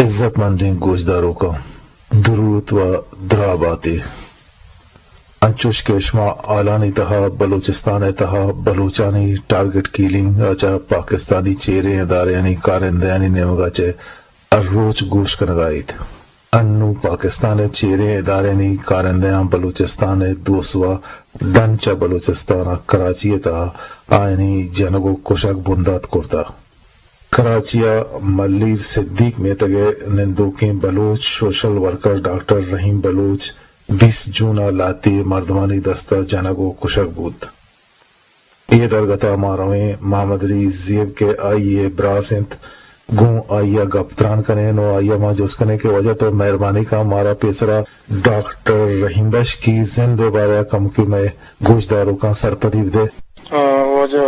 عزت مندیں گوشداروکاں، دروت و دراہ باتے۔ انچوش کہ شما حالانی تہا بلوچستان ءِ تہا بلوچانی ٹارگٹ کیلنگ ءَ چہ پاکستانی چیریں ادارہانی کارندہانی نیمگا چہ ہر روچ گوش کنگا ایت۔ انوں پاکستان ءِ چیریں ادارہانی کارندہاں بلوچستان ءِ دو سوا ڈن چہ بلوچستان ءَ کراچی ءِ تہا آیانی جنگ و کشگ بندات کرتہ۔ کراچی ءَ ملیر صدیق میتگ ءِ نندوکیں بلوچ سوشل ورکر ڈاکٹر رحیم بلوچ بیست جون ءَ لہتے مردمانی دست ءَ جنگ و کشگ بوت۔ اے درگت ءَ ما رویں محمد علی زیب کہ آئی ءِ براس انت، گوں آئی ءَ گپ تران کنیں و آئی ءَ ما جست کنیں کہ واجہ تو مہربانی کن مارا پیسرا ڈاکٹر رحیم بخش کی زند ءِ بارہ ءَ کمکے مئے گوشداروکاں سرپدی بدے۔ آ، واجہ،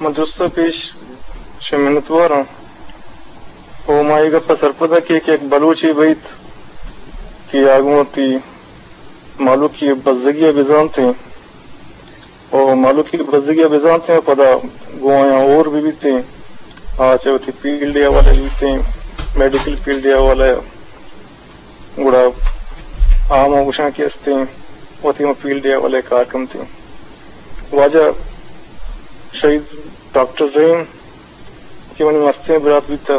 من درستاں پیش چہ منتوار آں۔ او ما اے گپ ءَ سرپد آں کہ، کہ یک بلوچے بیت کہ آ گوں وتی مالوکی بزگی ءَ بزانتیں، او مالوکی بزگی ءَ بزانتیں، پدا گوں آیاں ہور بہ بیتیں، آ چہ وتی فیلڈ ءِ حوالہ ءَ بیتیں، میڈیکل فیلڈ ءِ حوالہ ءَ، گڑا آ ما گوشاں کہ استیں وتی ہم فیلڈ ءِ حوالہ ءَ کار کنتیں۔ واجہ شہید ڈاکٹر رحیم کہ منی مستیں برات بیتہ،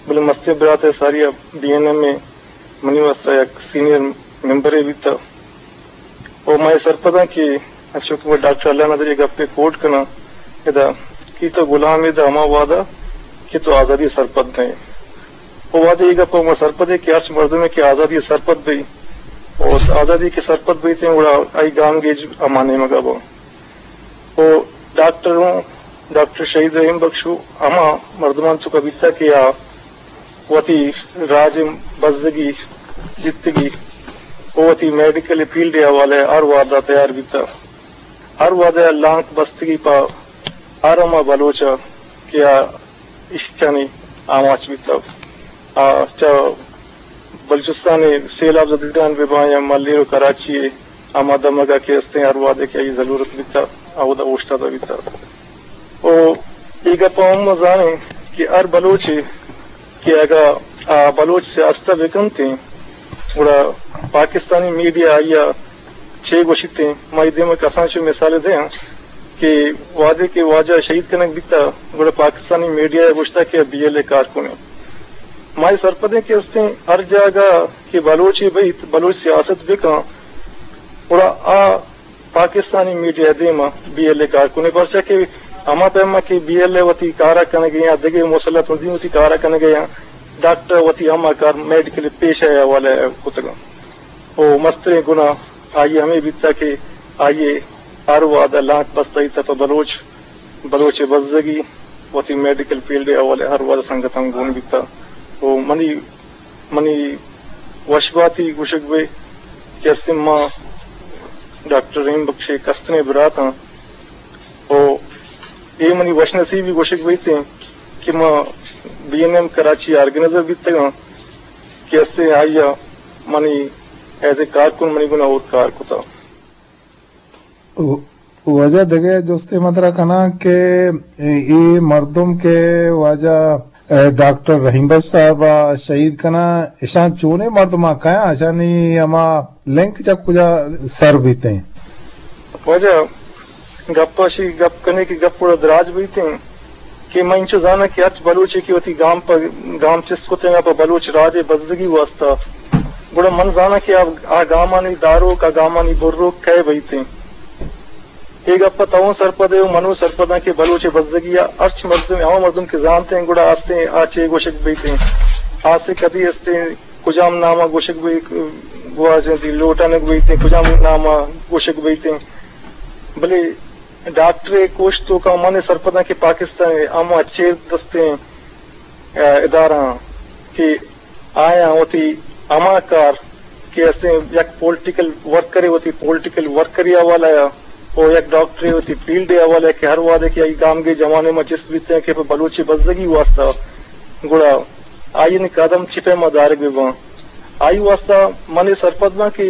بلے مستیں برات ءِ ساری ءَ بی این ایم ءِ منی واستہ یک سینئر ممبرے بیتہ۔ و ما اے سرپداں کہ انچو کہ ما ڈاکٹر اللہ نظری ءِ گپ ءَ کوٹ کناں، ادا کہ تو غلام ئے داں ہما وہد ءَ کہ تو آزادی ءَ سرپد نہ ئے۔ و وہدے اے گپ ءَ ما سرپد ایں کہ ہرچ مردمے کہ آزادی ءَ سرپد بی، و آزادی کہ سرپد بیتیں، گڑا آئی گامگیج ہما نیمگ ءَ باں۔ و ڈاکٹر ہوں، ڈاکٹر شہید رحیم بخش ہوں ہما مردماں توکا بیتا کہ آ وتی راج ءِ بزگی جتگی و وتی میڈیکل فیلڈ ءِ حوالہ ءَ ہر وہد ءَ تیار بیتا۔ ہر وہد ءَ لانک بستگی پہ ہر ہما بلوچ ءَ کہ آ ایشانی آماچ بیتا۔ آ چہ بلوچستان ءِ سیلاب زدگان بہ باں یا ملیر و کراچی ءِ ہما دمگ ءَ کہ استیں ہر وہدے کہ آئی ضلورت بیتا، اودا اوشتاتہ بیتا۔ و اے گپ ءَ ہم ما زانیں کہ ہر بلوچے کہ اگاں آ بلوچ سیاست ءَ بہ کنتیں، گڑا پاکستانی میڈیا آئی ءَ چے گوشیتیں؟ ما اے دیم ءَ کسانیں چو مثالے دیاں کہ وہدے کہ واجہ شہید کنگ بیتا، گڑا پاکستانی میڈیا ءَ گوشتا کہ بی ایل اے کارکنے۔ ما اے سرپدیں کہ استیں ہر جاگہ کہ بلوچے بیت، بلوچ سیاست بکن، گڑا آ پاکستانی میڈیا ءِ دیما بی ایل اے کارکنے، پرچا کہ ہما پیما کہ بی ایل اے وتی کارا کنگے یا دگہ مسلح تنظیم وتی کارا کنگے یا ڈاکٹر وتی ہما کار میڈیکل پیشہ ءِ حوالہ ءَ کتگاں۔ و مستریں گناہ آئی ءِ ہمے بیتا کہ آئی ءَ ہر وہد ءَ لانک بستہ ایتا پہ بلوچ، بلوچ ءِ بزگی، وتی میڈیکل فیلڈ ءِ حوالہ ءَ ہر وہد ءَ سنگتاں گون بیتا۔ و منی، منی وش باتی گوشگ بہ کہ استیں ما ڈاکٹر رحیم بخش ءِ کستریں براتاں۔ و اے منی وش نصیبی گوشگ بیتیں کہ ما بی این ایم کراچی ءِ آرگنائزر بیتگاں کہ استیں آئی ءَ منی ایز اے کارکن منی گونا ہور کار کتا۔ و-، واجہ دگہ جستے من ترا کناں کہ اے مردم کہ واجہ، اے، ڈاکٹر رحیم بخش صاحب ءَ شہید کناں، اشاں چونیں مردماں کیاں؟ اشانی ہما لنک چہ کجا سر بیتیں؟ واجہ گپ اشی گپ کنے کہ گپ گڑا دراج بیتیں۔ کہ من انچو زاناں کہ ہرچ بلوچے کہ وتی گام پہ گام چست کتیں پہ بلوچ راج ءِ بزگی واسطہ، گڑا من زاناں کہ آ، آ گامانی داروک، آ گامانی بروک کئے بیتیں۔ اے گپ ءَ تو سرپد ئے و من و سرپداں کہ بلوچ ءِ بزگی ءَ ہرچ مردم، ہما مردم کہ زانتیں گڑا آستیں آ چے گوشگ بیتیں، آستیں کدی استیں کجام نام ءَ گوشگ بی-، گواچنتی لوٹانگ بیتیں، کجام نام ءَ گوشگ بیتیں۔ بلے ڈاکٹر ءِ کوش توکا من سرپداں کہ پاکستان ءِ ہما چیر دستیں، ا، ادارہ کہ آیاں وتی ہما کار کہ استیں یک پولیٹیکل ورکرے وتی پولیٹیکل ورکری حوالہ ءَ و یک ڈاکٹرے وتی فیلڈ ءِ حوالہ ءَ کہ ہر وہدے کہ آئی گامگیج ہما نیما چست بیتیں کہ پہ بلوچ ءِ بزگی واسطہ گڑا آئی ءِ قدم چی پیما دارگ بہ باں۔ آئی واسطہ من اے سرپد باں کہ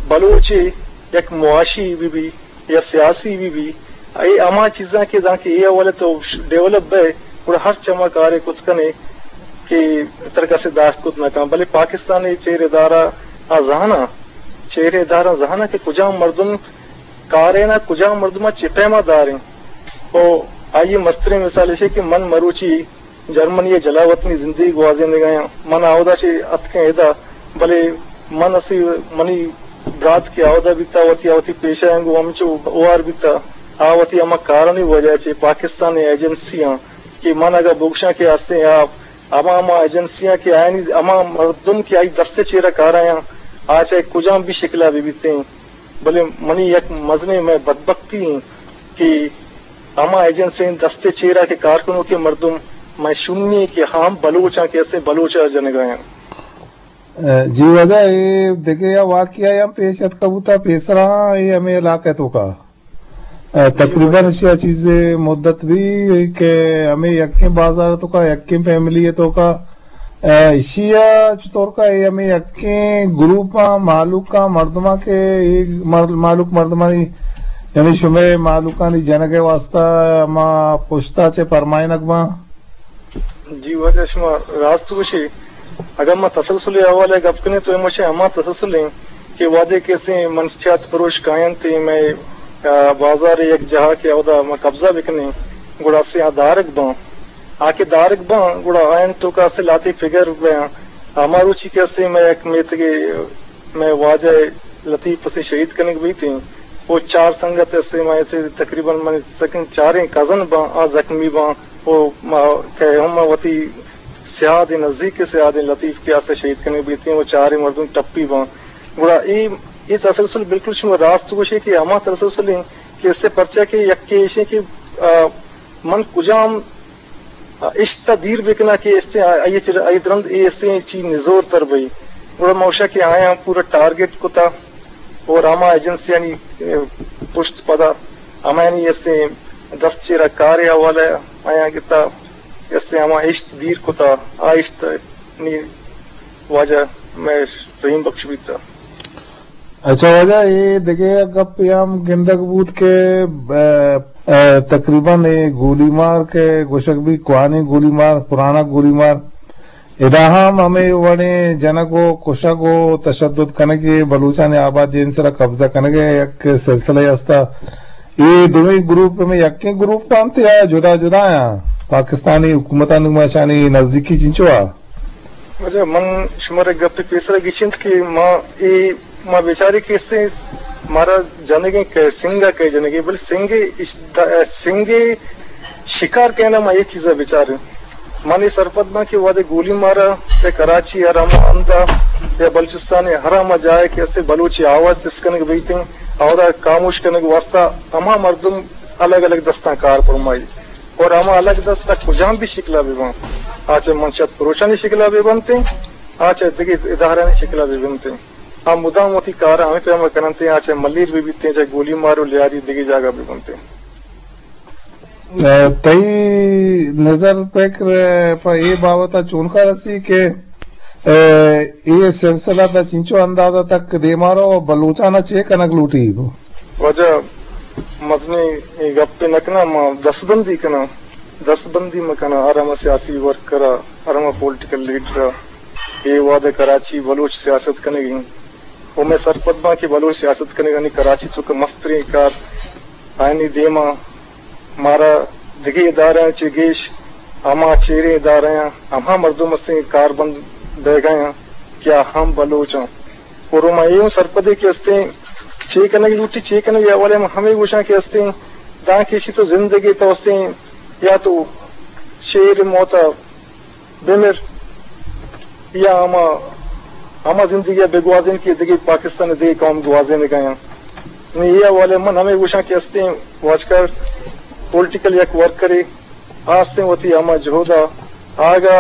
بلوچ ءِ یک معاشی بہ بی یا سیاسی بہ بی، اے ہما چیزاں کہ دانکہ اے حوالہ تو ڈیولپ بئے، گڑا ہرچ ہما کارے کت کنے کہ ترا کسے داشت کت نہ کن، بلے پاکستان ءِ چیر ادارہ آ زاناں، چیر ادارہ زاناں کہ کجام مردم کارین ءَ، کجام مردم ءَ چہ پیما داریں۔ او آئی ءِ مستریں مثال ایشی کہ من مروچی جرمنی ءَ جلاوطنی زندگی گوازینگ ءَ آں۔ من آودا چہ اتکیں ادا، بلے من اسی منی برات کہ آودا بیتا، وتی، وتی پیشہ انگو ہمچو ہوار بیتا، آ وتی ہما کارانی وجہ چہ پاکستان ءِ ایجنسیاں کہ من اگاں بگشاں کہ استیں آ ہما، ہما ایجنسیاں کہ آیانی ہما مردم کہ آئی دست ءِ چیرا کارایاں، آ چاہے کجام بھی شکلا بہ بیتیں، بلے منی یک مزنیں مئے بدبختی ایں کہ ہما ایجنسیں دست ءِ چیرا کہ کار کنوکیں مردم مئے شومی ایں کہ ہم بلوچاں کہ استیں بلوچ ءَ جنگایاں۔ جی واجہ، اے دگہ یا واقعہ یا پیش اتکا بوتا پیسرا، اے ہمیں علاقہ توکا۔ ء، تقریباً اشیا چیزے مدت بھی کہ ہمیں یکیں بازار توکا، یکیں فیملی توکا، ء، اشیا چطور کا اے ہمیں یکیں گروپاں، مالوکاں، مردماں کہ اے مر-، مالوک مردمانی، یعنی شمے مالوکانی جنگ ءِ واسطہ ہما پشتا چہ پرمائنگ باں؟ جی واجہ، شما راست گوشے۔ اگاں ما تسلسل ءِ حوالہ ءَ گپ کنیں تو اے مشے ہما تسلسل ایں کہ وہدے کہ استیں منشیات فروش کاینت ایں مئے، آ، بازار ءِ یک جاہ کہ اودا ما قبضہ بکنیں، گڑا استیں آ دارگ باں۔ آ کہ دارگ باں، گڑا آیان توکا استیں لاتے فگر بیاں۔ ہما روچی کہ استیں مئے یک میتگے مئے واجہ لطیف اسے شہید کنگ بیتیں۔ او چار سنگت اسے، ما اسے تقریباً من سکن چاریں کزن باں، آ زخمی باں۔ او ما کہ ہم وتی سیاد نزدیک سیاد لطیف کہ اسے شہید کنگ بیتیں، او چاریں مردم ٹپی باں۔ گڑا اے، اے تسلسل بالکل شما راست گوشے کہ ہما تسلسل ایں کہ اسے پرچہ کہ یکے ایشیں کہ، آ، من کجام اشت ء دیر بکناں کہ استیں آئی چہ، آئی درند اے استیں چی نزور تر بئی۔ گڑا ما گوشاں کہ آیاں پورا ٹارگٹ کتا اور ہما ایجنسیانی، اے، پشت پدا ہمایانی استیں دست چیرا کار ء حوالہ آیاں گتا، استیں ہما اشت دیر کتا، آ اشت نی واجہ مئے رحیم بخش بیتا۔ اچھا واجہ، اے دگہ یک گپے ہم گندگ بوت کہ، ب-، ا، تقریباً اے گولی مار کہ گوشگ بی کوہنیں گولی مار، پرانا گولی مار، ادا ہم ہمے وڑیں جنگ و کشگ و تشدد کنگے، بلوچانی آبادی سرا قبضہ کنگے یک سلسلہ ہستا۔ اے دوئیں گروپ ہمے یکیں گروپ انت یا جدا جدا آں؟ پاکستانی حکومتانی گوما اشانی نزدیکی چنچو آ؟ واجہ، من شمارا گپے پیسرا گچینت کہ ما اے، ما بیچارے کہ استیں مارا جنگیں کہ سنگا کہ جنگیں، بلے سنگے اش-، دا-، سنگے شکار کہنا ما اے چیزا بیچاریں۔ من اے سرپد باں کہ وہدے گولی مارا چہ کراچی ہر ہما ہندا یا بلوچستان ہر ہما جاہے کہ استیں بلوچی آواز چست کنگ بیتیں، اودا خاموش کنگ واسطہ ہما مردم الگ الگ دستاں کار پرمائی۔ اور ہما الگ دست تک کجام بھی شکلا بہ باں، آ چہ منشیات پروشانی شکلا بہ بنتیں، آ چہ دگہ ادارہانی شکلا بہ بنتیں، آ مدام وتی کار ہمے پیما کننتیں، آ چہ ملیر بہ بیتیں، چہ گولی مار و لیاری دگہ جاگہ بہ بنتیں۔ ء، تئی نظر فکر، ء، پہ اے بابت ء چونکا رسی کہ، ء، اے سلسلہ تا چنچو اندازہ تک دیما رو و بلوچانا چے کنگ لوٹی؟ واجہ، مزنیں اے گپے نہ کناں، ما دستبندی کناں، دستبندی مہ کناں، ہر ہما سیاسی ورکر ء، ہر ہما پولیٹیکل لیڈر ء، اے وہد ء کراچی بلوچ سیاست کنگ ء انت۔ و مئے سرپد باں کہ بلوچ سیاست کنگانی کراچی توک ء مستریں کار آیانی دیما مارا دگہ ادارہ چہ گیش ہما چیریں ادارہ آں، ہما مردم استیں کاربند بیگا آں کہ آ ہم بلوچ آں۔ اور ما اے ہم سرپدے کہ استیں چے کنگ لوٹی، چے کنگ ء حوالے ما ہمے گوشاں کہ استیں داں کہ اشی تو زندگی تو استیں یا تو شیر موتا بمر یا ہما، ہما زندگی ء بگوازین کہ دگہ پاکستان ء دگہ قوم گوازینگ ء آں۔ نی اے حوالے من ہمے گوشاں کہ استیں واجکار پولیٹیکل یک ورکرے آ استیں وتی ہما جہد ء آگا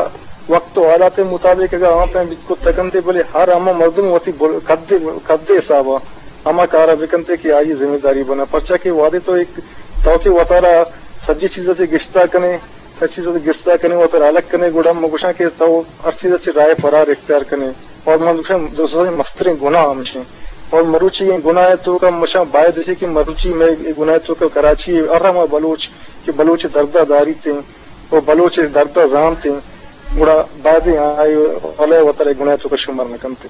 وقت و حالات مطابق اگاں آ پیم بیت کت کنتے، بلے ہر ہما مردم وتی بل-، قد، قد حساب ء ہما کار ء بکنتے کہ آئی ذمہ داری بنا۔ پرچا کہ وہدے تو ایک تو کہ وتارا سجی چیز ء چہ گشتا کنے، ہر چیز ء گستا کنے، وتر الگ کنے، گڑا من گوشاں کہ تو ہر چیز ء چہ راہ فرار اختیار کنے۔ اور من گوشاں درستیں مستریں گناہ ہمشیں۔ اور مروچی ایں گناہ ء توکا مشاں باید اشی کہ مروچی مئے اے گناہ ء توکا کراچی ء ہر ہما بلوچ کہ بلوچ ء درد ء داریتیں و بلوچ ء درد ء زانتیں، گڑا بایدیں آئی ولے وترے گناہ توکا شمار نہ کنت۔